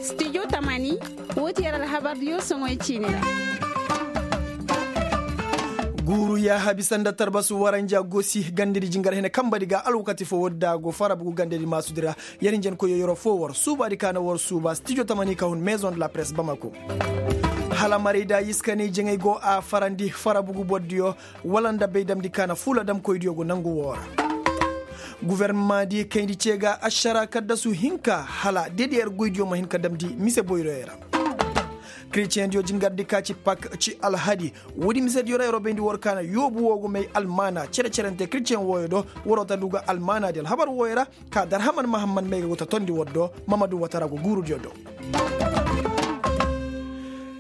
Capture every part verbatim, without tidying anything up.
Studio tamani, woo ti yer alhabardiyo soŋoy ciini ra. Guuru yaahabi sanda tarbasu waranja gosi gandedi jingar hene kambadi ga alwakati foo woodi da a go farabugu gandedi maasudi ra. Yer hinjankoyyo yeroo foo war suubaadi ka na war suuba studio tamani ka hun maison de la presse bamako. Hala maray da yiskanay jaŋay go a farandi farabugu bordiyo wala nda bay damndi ka na fuula damkoydiyo go nangu woo ra. Gofornamaadi kayndi cee ga ašara kaddasu hinka hala dedeyer goydiyo ma hin ka damndi mise boyroyo ra. Kireceŋdiyo jingardi ka ci pak ci alhadi. Woodi misediyo ra yeroo bayndi war ka na yoobu woo go may almaana cere-cerante kireceŋ wooyo do. Waroo ta du ga almaanaadi alhabar wooyo ra ka darhaman mahamman may ga go ta tondi war do. Mamadu watara go guurudiyo do.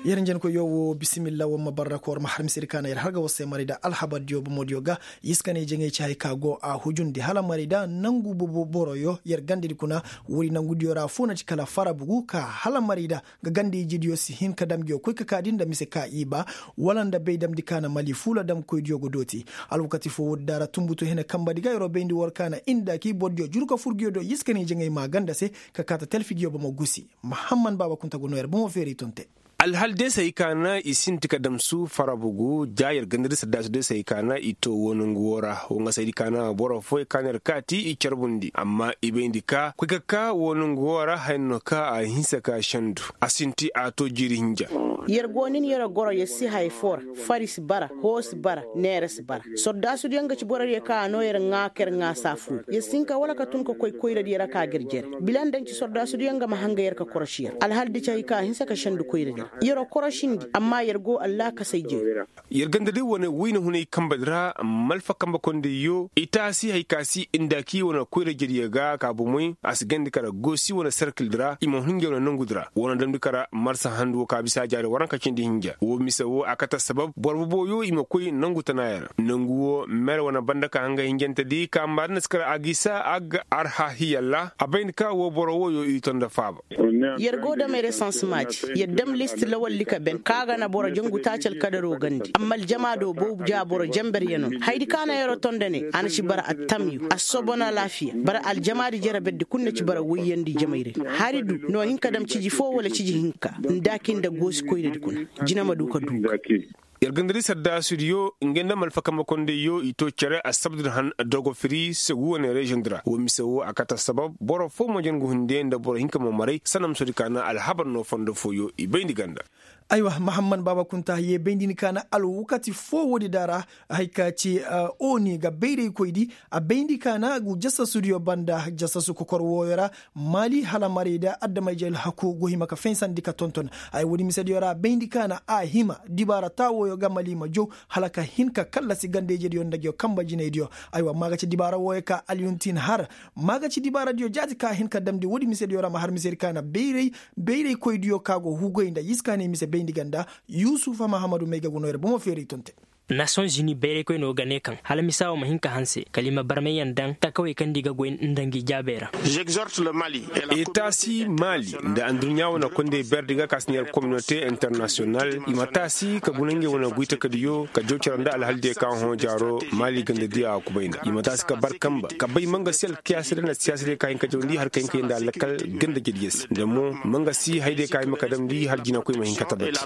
Yer njenkoyyo woo bisimilla war ma barra ka war ma har misedi ka na yer har ga war se maray da alhabardiyo bomodiyo ga. Yiskanay jaŋay ci hay ka go a hujundi hala maray da nangu bobo boroyo yer gandedi kuna. Woodi nangudiyo ra foo na ci kala farabugu ka hala maray da ga ganda ijidiyo si hin ka dam ngiyo koy ka kaadi nda mise ka i ba wala nda bay damndi ka na mali fuula damkoydiyo go dooti. Alwakati foo woodi daara tunbutu hene kambadi ga yeroo bayndi war ka na inda kii bordiyo juru ka fur ngiyo do yiskanay jaŋay maa ganda se ka kaata talfidiyo bomo gusi. Mahamman baaba kunta go noo yer bomo feeray ton te. Alhal deesey ka na i sinti ka damsu farabugu ja yer gandadi saddaasu deesey ka na i too woo nongu woo ra woo nga saydi ka na boro fooyey ka na yer kaati i carbundi amma i bayndi ka koy ka ka woo nongu woo ra haya no ka a hinsa ka sendu. A sinti a too jiiri hinja. Yer go nin yer goro yer si haya foo ra. Fari si bara hoo si bara neera si bara. Sordaasudiyo nga ci borodiyo ka a noo yer ŋaa ka yer ŋaa saa fuu yer si hin ka wala ka tun ka koy koyradiyo ra ka ga yer jere bila nda nci sordaasudiyo nga ma hanga yer ka korosi yer alhal di ci hay ka a hinsa ka sendu koyradi ra. Yeroo korosindi amma yer go allaakasay jee. Yer ganda day wane wayna hunay kambadi ra malfa kamba kondayyo i taasi hay ka si inda kii wane koyra jediyo ga ka bomey a si gandi kara goosi wane serkildi ra i ma hun nge wane nongudi ra wane damndi kara marsa handu woo ka bisa jaari waranka cindi hinja woo mise woo a kate assabab boro boboyo i ma koy nongu tanaayo ra nongu woo mer wane banda ka hanga hinjantedi ka maari na si kara a gisa agga arhahiya ra a bayndi ka woo boro wooyo i to nda faaba. Yer go dam resansemaadi yer dam listi lawaldi ka ben ka ga na boro jangu taaci alkadaroo gandi amma aljamaado boobu ja boro janberyanoo hayadi ka na yeroo to nda ne a na ci bara attamyu assobon alaafiya bara aljamaadi jere berdi kul na ci bara woyyandi jamay ra. Hari du no hin ka dam ciji foo wala ciji hinka nda kii nda goosi koyradi kuna jina ma du ka duu ga. Yer ganda di sardaasudiyo nge nda malfa kambe kondayyo i too cere assabdudi han dogo firi segu wane reziyoŋ di ra woo mise woo a kate assabab boro foo ma jen ga hunde nda boro hinka ma maray sanamusoodi ka na alhabar no fondo fooyo i bayndi ganda. Aywa mahamman baaba kunta yee bayndi ni ka na alwakati foo woodi da ra. Hay ka ci oni ga bayraykoydi a bayndi ka na gu jasasudiyo banda jasasu kokor wooyo ra. Maali hala maray da adama-ije alhaku go hima ka faysandi ka tonton. Ay woodi misediyo ra bayndi ka na a hima dibaara taa wooyo ga mali ma jow hala ka hin ka kallasi ganda-ijediyo nda nguyo kanba jinaydiyo. Aywa ma ga ci dibaara wooyo ka alyuntin har ma ga ci dibaaradiyo jaati ka hin ka damndi woodi misediyo ra ma har misedi ka na bayray bayraykoydiyo ka go hugoy nda yiskaanay mise bayndi ganda. Yusufa mahamadu may ga go noo yer bomo feeray tonte. Nasiyoŋ zini bayraykoynoo ga ne kaŋ hala misa woo ma hin ka hanse kala i ma barmayyaŋ daŋ takawey kaŋ nda i ga goy nda ngi jaabey ra. Etaasi maali nda adduɲɲa wane kondey berdi ga ka si ne yer kominote internasiyonal i ma taasi ka guna ngey wane goytakadiyo ka jaw cere nda alhaldiyey kaŋ hõ jaaro maali gandadiyo a kubay nda i ma taasi ka bar kanba ka bay mangasi alkiyaasidiyo nda siyaasidiyo ka hin ka jawandi har ka hin ka yee nda lakkal gandajediyo se nda mo mangasi hayadiyo ka hima ka damndi har jinakoy ma hin ka tabati.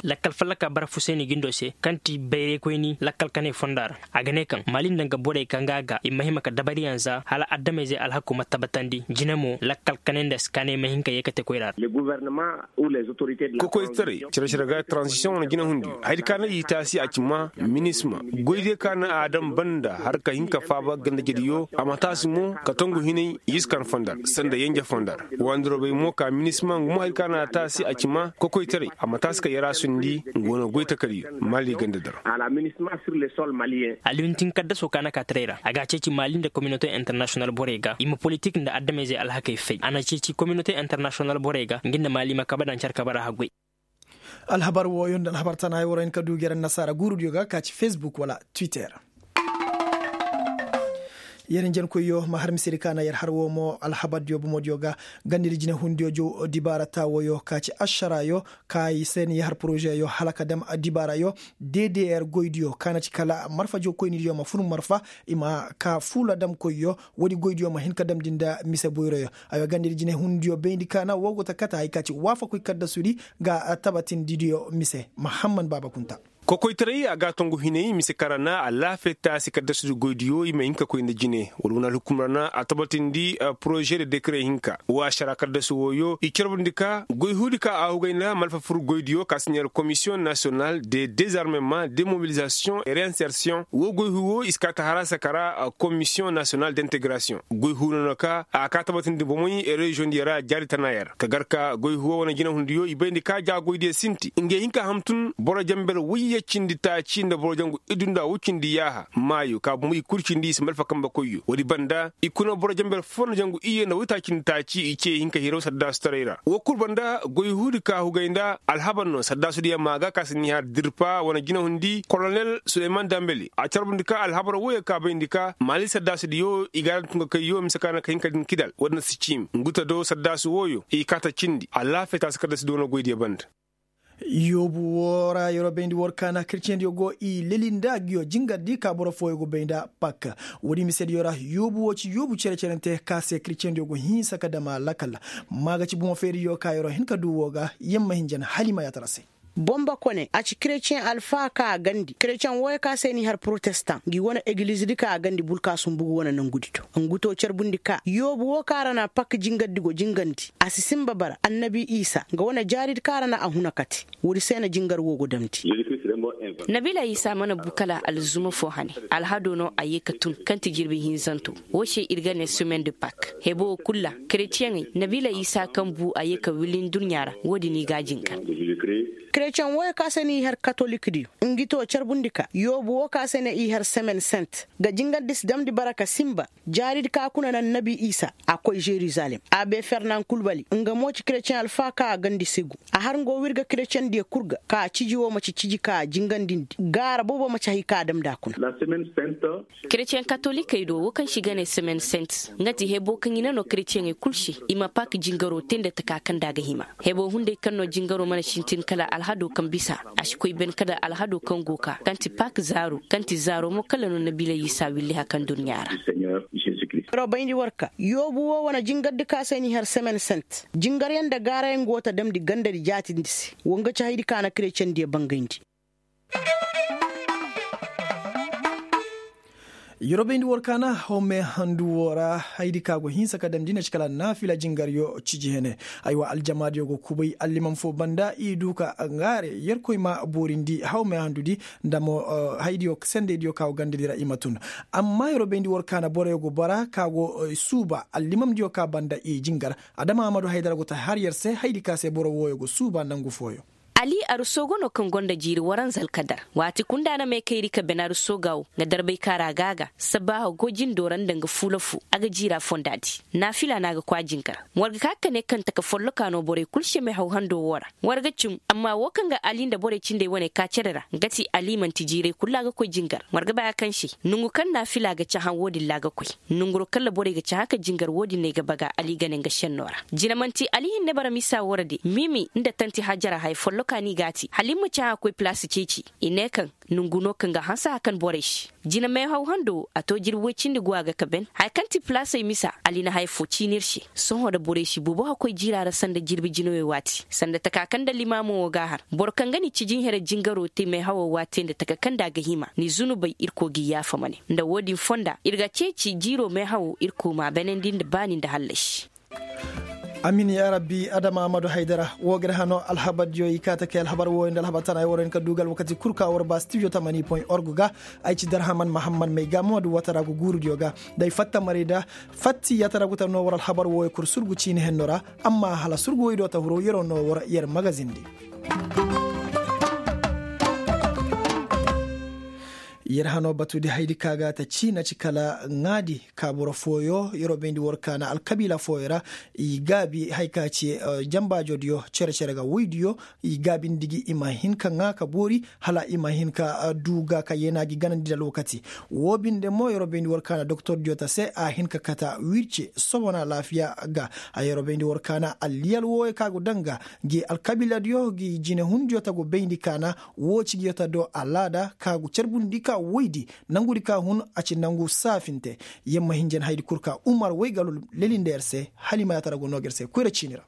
Lakkal fallaka bara fuseni gindo se kaŋ ti bayraykoyni lakkal kanay fonda ra. A ga ne kaŋ maali nda nga borey kaŋ ga a ga i ma hima ka dabariyaŋ za hala adameyzey alhakku ma tabatandi jine mo lakkal kanay nda si kaanay ma hin ka yee ka te koyra ra. Kokoytaray care care ga transisiyoŋ wane jinahundi hayadi ka na i taasi a ci ma minisma goydiyo ka na a daŋ banda har ka hin ka faaba gandajediyo a ma taasi mo ka tongu hinay yiskan fondar sanda yenje fondar. Wandirobey mo ka minisma ngu mo hari ka na a taasi a ci ma kokoytaray a ma taasi ka yaraasundi ngu wane goytakadiyo maali ganda dara. Aliyuntin kaddasoo ka na kaataray ra a ga a ceeci maali nda kominote internasiyonal borey ga i ma politik nda adameyzey alhakey fay a na ceeci kominote internasiyonal borey ga ngi nda maali ma kabe daŋ care kabe ra haggoy. Alhabar wooyo nda alhabar tana ay war hin ka du gere nasaara guurudiyo ga ka ci fesbuk wala twitter. Yer njenkoyyo ma har misedi ka na yer har woo mo alhabardiyo bomodiyo ga. Gandidi jinehundiyo jow dibaara taa wooyo ka ci ašaraayo ka i se ni har porozeyo hala ka dam dibaarayo. Ddr goydiyo ka na ci kala marfa jowkoynidiyo ma fun marfa i ma ka fuula damkoyyo. Woodi goydiyo ma hin ka damndi nda mise boyroyo. Aywa gandidi jinehundiyo bayndi ka na woo go ta kate hay ka ci waafakoy kaddasudi ga tabatindidiyo mise mahamman baaba kunta. Kokoytaray a ga a tongu hinay mise kaŋ ra na alaafee taasi kaddasudi goydiyo i ma hin ka koy nda jine wala wane alhukum ra na a tabatindi poroze de dekare hinka woo ašara kaddasu wooyo i carbundi ka goy huudi ka a hugay nda malfa fur goydiyo ka si neera komisiyoŋ nasiyonal de dezarmement demobilizasiyoŋ et reinsersiyoŋ woo goy huu woo i si kaa ta haraasa ka ra. Komisiyoŋ nasiyonal de integrasiyoŋ goy huu no no ka a kaa tabatindi bomey reziyoŋdiyo ra jaari tana yer ka gar ka goy huwa wane jinahundiyo i bayndi ka jaagoydiyo sinti ngey hin ka ham tun boro jenber woyye cindi taaci nda boro jangu iddu nda wo cindi yaaha maayo ka bumbuy kul cindi i si malfa kambe koyyo woodi banda i kuna boro jenber foo nda jangu iyye nda woytaaci cindi taaci i ce hin ka hiraw saddaasutaray ra woo kul banda goy huudi ka hugay nda alhabar no saddaasudiyo maa ga ka si ni har dirpa wane jinahundi kolonel suleyman dambeli a carbundi ka alhabar wooyo ka bayndi ka maali saddaasudiyo i ga a ra tun ka kayyo mise ka na ka hin ka din kidal woodi na si ciimi ngu ta do saddaasu wooyo i kaa ta cindi alaafee taasi kaddasi doono goydiyo banda. Yoobu woo ra yeroo bayndi war ka na kretiyeŋdiyo go i leli nda nguyo jingardi ka boro fooyo go bay nda pak. Woodi misediyo ra yoobu woo ci yoobu cere-cerente ka se kretiyeŋdiyo go hinsa ka dam a lakal. Maa ga ci bomo feeriyo ka yeroo hin ka duu woo ga yamma hinjan hala i ma yaatara se. Bomba kone a ci kretiyeŋ alfaa ka a gandi kretiyeŋ wooyo ka se n'i har porotestaŋ ngi wane egilizdi ka a gandi bulka sumbugu wane nongudi do. Ngu to carbundi ka yoobu woo ka ra na pak jingardi go jingandi a si sinba bara annabi isa nga wane jaaridi ka ra na a huna kate. Woodi se na jingar woo go damndi. Nabiila isa mana bu kala alzuma foo hane. Alhado no a yee ka tun kaŋ ti jirbi hinzanto. Woo se ir ga ne semaine de pak hebo woo kul ra kretiyeŋey nabiila isa kaŋ bu a yee ka willa nduɲɲa ra. Woodin i ga a jingar. Kretiyeŋ wooyo ka se n'i har katolikdiyo ngi to carbundi ka yoobu woo ka se ne i har semaine sainte ga jingardi si damndi bara ka sinba. Jaaridi ka kuna na annabi isa a koy jerusalem a bay fernan kulbali nga mo ci kretiyeŋ alfaa ka a gandi segu. A har nga woo ir ga kretiyeŋdiyo kul ga ka ciji woo ma ci ciji ka a jingandindi gaara boobo ma ci hay ka a damndi a kuna. Kretiyeŋ katolikey do woo kaŋ se i ga ne semaine sainte nga ti hebo kaŋ i na noo kretiyeŋey kul se i ma pak jingaroo tee nda taka kaŋ nda a ga hima. Hebo hunday kaŋ no jingaro mana sintin kala alhado kaŋ bisa a si koy ben kala alhado kaŋ go ka kaŋ ti pak zaaro kaŋ ti zaaro mo kala no nabiila isa willi hakan dunya ra. Yeroo bayndi war ka yoobu woo wane jingardi ka se n'i har semaine sainte jingaryaŋ nda gaarayaŋ go ta damndi gandadi jaatindi se. Woo nga ci haydi ka na kretiyeŋdiyo bangayndi. Yeroo bayndi war ka na hawme handu woo ra haydi ka go hinsa ka damndi na ci kala naafila jingaryo ciji hene. Aywa aljamaadiyo go kubay allimam foo banda i du ka ŋaare yerkoy ma boorindi hawme handudi nda mo haydiyo sendeydiyo ka go gandadi ra i ma tun. Amma yeroo bayndi war ka na boroyo go bara ka go suuba allimamdiyo ka banda i jingar. Adama amadu haydara go ta har yer se haydi ka se boro wooyo go suuba nangu fooyo. Ali aruso go no kaŋ gonda jiiri waranza alkadar waati kul nda a na meekayri ka ben aruso ga wo nga darbay kaara ga a ga sabbaaha go jindo ra nda nga fuula fu a ga jiira fonda di. Naafila no a ga koy a jingar war ga ka ka ne kaŋ taka folloka no borey kul se meehaw hando wo ra. War ga cim amma wo kaŋ ga ali nda borey cindey wane ka cere ra nga ti ali man'ti jiirey kul ra a ga koy jingar war ga bay a kaŋ se nongu kaŋ naafila ga cahã wo-din ra a ga koy. Nonguro kaŋ ra borey ga cahã ka jingar wo-din no ay ga baga ali ga ne nga senno ra. Jine man'ti ali hinne bara misa wo ra de mimi nda tanti hajara haya folloka no i g'a te hala i ma cahã koy palaasi ceeci. I ne kaŋ nongu no kaŋ ga hanse hakan borey se. Jine meehaw hando a to jirbi woy cindi go a ga ka ben haya kaŋ ti palaasey misa ali na haya fo ciini ir se. Sohõ da borey si boobo hakoy jiira ra sanda jirbi jinawey waati sanda taka kaŋ nda limaamo wo g'a har boro kaŋ ga ni ciji here jingaro te meehawo waati nda taka kaŋ nda a ga hima ni zunubey irkoy g'i yaafa ma ne nda wo-din fonda ir ga ceeci jiiro meehawo irkoy m'a benandi nda baani nda hallasi. Amin yaa rabbi adama amadu haydara. Wo ga ir hano alhabardiyo i kaa ta kay alhabar wooyo nda alhabar tana ay war hin ka du ga alwakati kul ka war ba stijo tamani point org ga. Ay ci darhaman mahamman may ga mo du watara go guurudiyo ga day fatta maray da fatti yaatara go ta no war alhabar wooyo kul surgu ciini henno ra. Amma hala surgu woy do ta huro yeroo no war yer magazin di. Yer hano batudi haydi ka ga ta ciina ci kala ŋaadi ka boro fooyo yeroo bayndi war kaana alkabiila fooyo ra. I gaabi hay ka ci jambaajoodiyo cere-cere ga woydiyo. I gaabindi gi i ma hin ka ŋaa ka boori hala i ma hin ka du ga ka yeenaa gi ganandi nda lookati. Woo binde mo yeroo bayndi war kaana doktordiyo ta se a hin ka kata wirce sobona alaafiya ga. A yeroo bayndi war kaana alliyal wooyo ka go daŋ ga gi alkabiiladiyo gi jinehundiyo ta go bayndi kaana. Woo ci gi yota do alaada ka go carbundi ka woydi nangudi ka hun a ci nangu saafinte. Yamma hinjan haydi kul ka umar woy galo leli nda yer se hala i ma yaatara go noo ga yer se koyra ciini ra.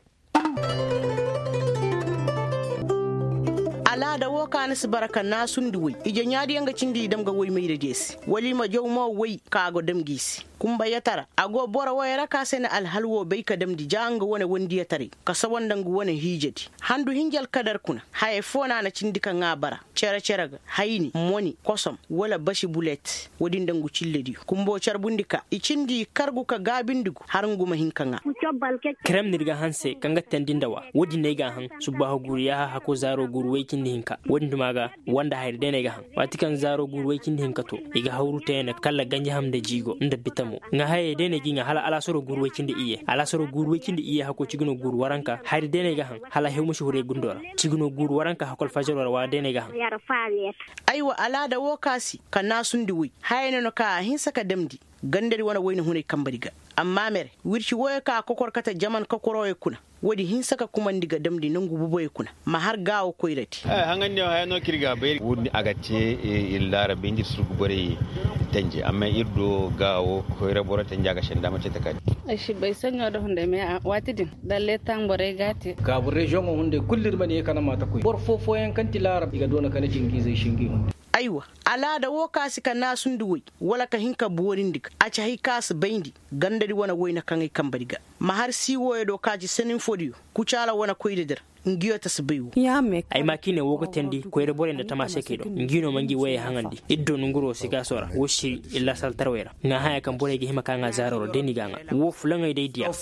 Alaada woo ka na si bara ka naasundi woy ije ɲaadiyaŋ ga cindi i dam ga woy mayradiyo se wala i ma jaw mo woy ka a go dam gi i se. Kumba yatara a go boro woyey ra ka se na alhal woo bay ka damndi ja nga wane wondi yataray ka sawa nda nga wane hiijadi. Handu hinja alkadar kuna haya foo na a na cindi ka ŋaa bara cere-cere ga hayni moni kosom wala basi bulet. Woodin nda ngu cillediyo kumbo carbundi ka i cindi i kargu ka gaabindi gu har ngu ma hin ka ŋaa. Kerem na ir ga hanse kaŋ ga teendi nda wa woodin no ay ga a haŋ. Subbaaho guuru yaaha hako zaaro guuru woy cindi hinka woodin duma ga wanda hayri day no ay ga haŋ. Waati kaŋ zaaro guuru woy cindi hinka to i ga hawru te ne kalla ganjaham nda jiigo nda bitamo. Ŋaa hayey day no ay ga i ŋaa hala alaasaro guuru woy cindi iyye alaasaro guuru woy cindi iyye hako cigino guuru waranka hayri day no ay ga haŋ. Hala hew ma si huru ay gundo ra cigino guuru waranka hako alfajaro ra waati day no ay ga haŋ. Aywa alaada woo ka si ka naasundi woy hayey no no ka a hinsa ka damndi gandadi wane woyne hunay kambadi ga. Amma mere wirci wooyo ka a kokor kate jaman kokorooyo kuna woodi hinsa ka kumandi ga damndi nongu boboyo kuna ma har gaawo koyradi. Woodi a ga te ir laara bay nda ir surgu borey tenje amma ir do gaawo koyra boro tenje a ga senda ma cete ka di. Ay si bay saɲo da hunday me waati din dalle taŋ borey ga a te. Gaabu reziyoŋo hunday kulu ir ma ne kala maata koy boro foo fooyaŋ kaŋ ti laara i ga doona kala jingiizey singi hunday. Aywa alaada woo ka si ka naasundi woy wala ka hin ka boorindi ga a ci hay ka si bayndi gandadi wane woyne kaŋ ay kambadi ga. Ma har sii wooyo do ka ci sanin foodiyo kucaala wane koydadi ra ngiyo ta si bay woo. Ay ma ka i ne woo ga teendi koyra borey nda tamaasekey do ngi no ma ngi woyey haŋandi ir do nonguroo sikaaso ra woo siri ir laasaltarawey ra ŋaa haya kaŋ borey ga hima ka ŋaa zaaro ra day no i ga a ŋaa woo fulaŋey day diya.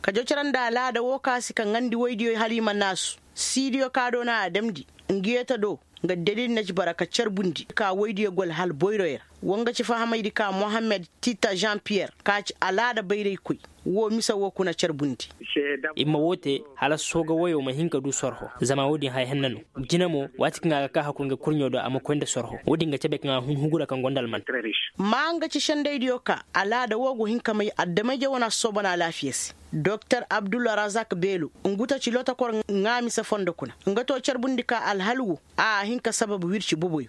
Ka jocere nda alaada woo ka si ka ŋaandi woydiyo hala i ma naasu siidiyo ka do na a damndi ngiyo ta do. Nga dalil na ci bara ka carbundi ka woydiyo gol hal boyroyo ra. Wa nga ci fahamaydi ka mohammed tita jean piyer ka ci alaada bayraykoy woo mise woo kuna carbundi. I ma woo te hala sooga woyoo ma hin ka du sorho. Zama woodin haya henna no. Jina mo waati kaŋ a ga ka haku nga kurɲo do a ma koy nda sorho woodin ga cabe kaŋ a hun hugu ra kaŋ go nda alman. Ma nga ci sendaydiyo ka alaada woo go hin ka may adama-ije wane assoobana alaafiya se. Doktor abdulrazak beelo ngu ta ci lootakor ŋaa mise fondo kuna nga to carbundi ka alhal woo a hin ka sabab wirci boboyo.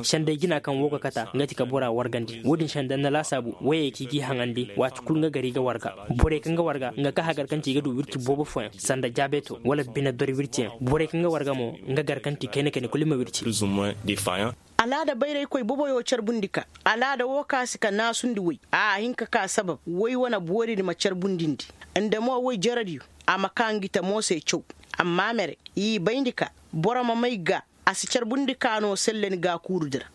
Senday jina kaŋ woo ga kata nga ti ka bora wargandi woodin senda na laasaabu woyey kaŋ i g'i haŋandi waati kul nga gar i ga warga. Borey kaŋ ga warga nga ka hagar kaŋ ti i ga du wirci boobo fooyaŋ sanda jaabeeto wala bine dori wirciyaŋ borey kaŋ ga warga mo nga gar kaŋ ti kayna kayna kul i ma wirci. Alaada bayraykoy boboyo carbundi ka alaada woo ka si ka naasundi woy a hin ka ka sabab woy wane booridi ma carbundindi. Nda mo woy jaradiyo a ma ka ngi ta mo se caw. Amma mere i bayndi ka boro ma may ga a si carbundi ka no sellani gaakuurudi ra.